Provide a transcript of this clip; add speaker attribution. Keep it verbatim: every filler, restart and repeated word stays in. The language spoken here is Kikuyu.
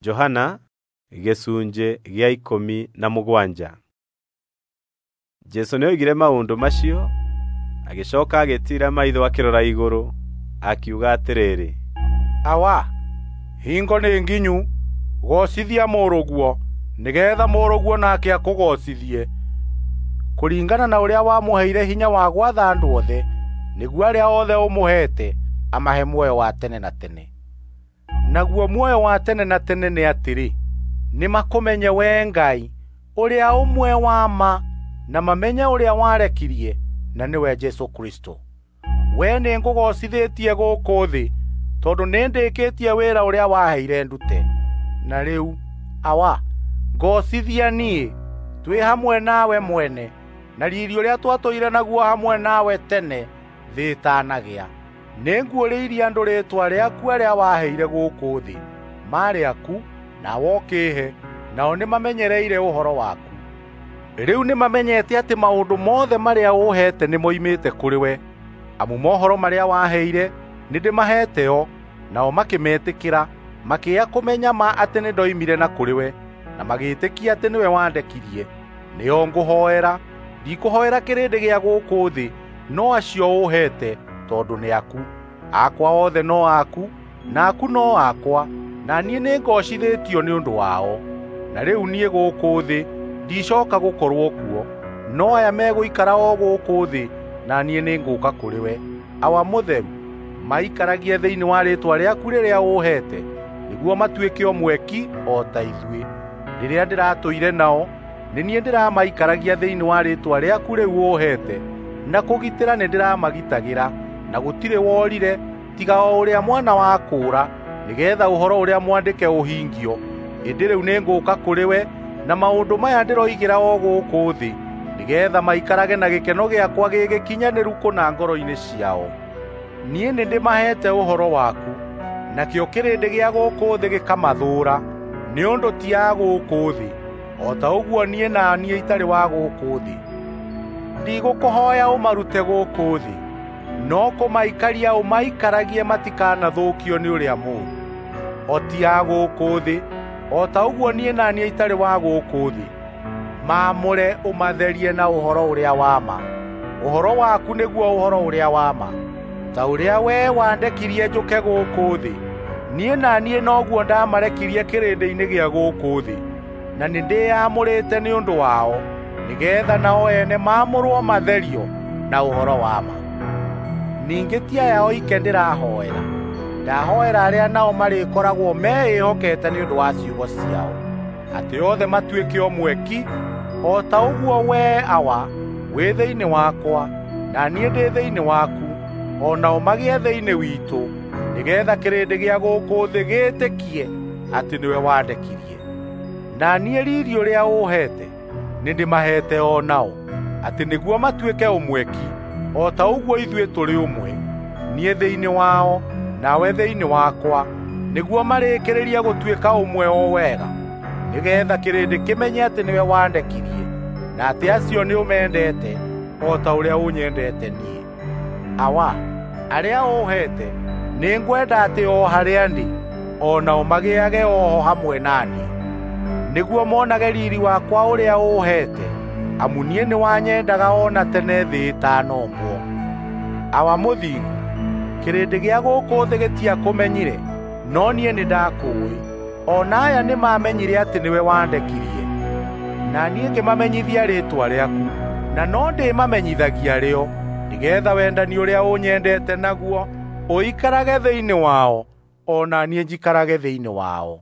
Speaker 1: Johana gĩcunjĩ gĩa ikũmi na mũgwanja. Jesũ nĩoigire maũndũ macio, agĩcooka agĩtiira maitho akĩrora igũrũ, akiuga atĩrĩrĩ,
Speaker 2: Awa, hingo nĩ nginyu, goocithia mũrũguo, nĩgeetha mũrũguo nake akũgoocithie, kũringana na ũrĩa wamũheire hinya wa gwatha andũ othe, nĩguo arĩa othe ũmũheete amahe muoyo wa tene na tene. Naguo muoyo wa tene na tene nĩ atĩrĩ, nĩmakũmenye wee Ngai ũrĩa ũmwe wa ma, na mamenye ũrĩa warekirie, na nĩwe Jesũ Kristo. Wee nĩngũgoocithĩtie gũkũ thĩ, tondũ nĩndĩkĩtie wĩra ũrĩa waheire ndute. Na rĩu, Awa, ngoocithia niĩ twĩ hamwe nawe mwene, na riiri ũrĩa twatũire naguo hamwe nawe tene thĩ ĩtanagĩa. Nĩnguũrĩirie andũ rĩĩtwa rĩaku arĩa waheire gũkũ thĩ. Maarĩ aku, nawe ũkĩĩhe, nao nĩmamenyereire ũhoro waku. Rĩu nĩmamenyete atĩ maũndũ mothe marĩa ũũheete nĩmoimĩte kũrĩ we, amu mohoro marĩa waheire nĩndĩmaheete o, nao makĩmetĩkĩra, makĩya kũmenya ma atĩ nĩndoimire na kũrĩ we, na magĩĩtĩkia atĩ nĩwe wandekirie. Nĩo ngũhoera, ndikũhoera kĩrĩndĩ gĩa gũkũ thĩ, no acio ũũheete, tondũ nĩ aku. Akwa othe no aku, na aku no akwa, na niĩ nĩngoocithĩtio nĩ ũndũ wao. Na rĩu niĩ gũkũ thĩ ndicooka gũkorwo kuo, no aya megũikara o gũkũ thĩ, na niĩ nĩngũũka kũrĩ we. Awa mũtheru, maikaragie thĩinĩ wa rĩĩtwa rĩaku rĩrĩa ũũheete, nĩguo matuĩke ũmwe ki o ta ithuĩ. Rĩrĩa ndĩratũire nao, nĩ niĩ ndĩramaikaragia thĩinĩ wa rĩĩtwa rĩaku rĩu ũũheete, na kũgitĩra nĩndĩramagitagĩra, na gũtirĩ worire tiga o ũrĩa mwana wa kũũra, nĩgeetha ũhoro ũrĩa mwandĩke ũhingio. Ĩndĩ rĩu nĩngũũka kũrĩ we, na maũndũ maya ndĩroigĩra o gũkũ thĩ, nĩgeetha maikarage na gĩkeno gĩakwa gĩ gĩkinyanĩru kũna ngoro-inĩ ciao. Niĩ nĩndĩmaheete ũhoro waku, nakĩo kĩrĩndĩ gĩa gũkũ thĩ gĩkamathũũra, nĩ ũndũ ti a gũkũ thĩ, o ta ũguo niĩ na niĩ itarĩ wa gũkũ thĩ. Ndigũkũhooya ũmarute gũkũ thĩ, no kũmaikaria ũmaikaragie matikanathũkio nĩ ũrĩa mũũru. O ti a gũkũ thĩ, o ta ũguo niĩ na niĩ itarĩ wa gũkũ thĩ. Maamũre ũmatherie na ũhoro ũrĩa wa ma. Ũhoro waku nĩguo ũhoro ũrĩa wa ma. Ta ũrĩa wee wandekirie njũke gũkũ thĩ, niĩ na niĩ noguo ndamarekirie kĩrĩndĩ-inĩ gĩa gũkũ thĩ. Na nĩndĩyamũrĩte nĩ ũndũ wao, nĩgeetha nao ene maamũrwo matherio na ũhoro wa ma. Ningĩ ti aya oike ndĩrahoera, ndahoera arĩa nao marĩkoragwo meĩhokete nĩ ũndũ wa ciugo ciao, atĩ othe matuĩke ũmwe ki, o ta ũguo wee Awa wĩ thĩinĩ wakwa, na niĩ ndĩ thĩinĩ waku, o nao magĩe thĩinĩ witũ, nĩgeetha kĩrĩndĩ gĩa gũkũ thĩ gĩĩtĩkie atĩ nĩwe wandekirie. Na niĩ riiri ũrĩa ũũheete nĩndĩmaheete o nao, atĩ nĩguo matuĩke ũmwe ki, o ta ũguo ithuĩ tũrĩ ũmwe, niĩ thĩinĩ wao, nawe thĩinĩ wakwa, nĩguo marĩkĩrĩrie gũtuĩka ũmwe o wega, nĩgeetha kĩrĩndĩ kĩmenye atĩ nĩwe wandekirie, na atĩ acio nĩũmendete o ta ũrĩa ũnyendete niĩ. Awa, arĩa ũũheete nĩngwenda atĩ o harĩa ndĩ, o nao magĩage o ho hamwe na niĩ, nĩguo monage riiri wakwa ũrĩa ũũheete, amu niĩ nĩwanyendaga o na tene thĩ ĩtanombwo. Awa mũthingu, kĩrĩndĩ gĩa gũkũ thĩ gĩtiakũmenyire, no niĩ nĩndakũũĩ. O na aya nĩmamenyire atĩ nĩwe wandekirie. Na niĩ ngĩmamenyithia rĩĩtwa rĩaku, na no ndĩmamenyithagia rĩo, nĩgeetha wendani ũrĩa ũnyendete naguo ũikarage thĩinĩ wao, o na niĩ njikarage thĩinĩ wao.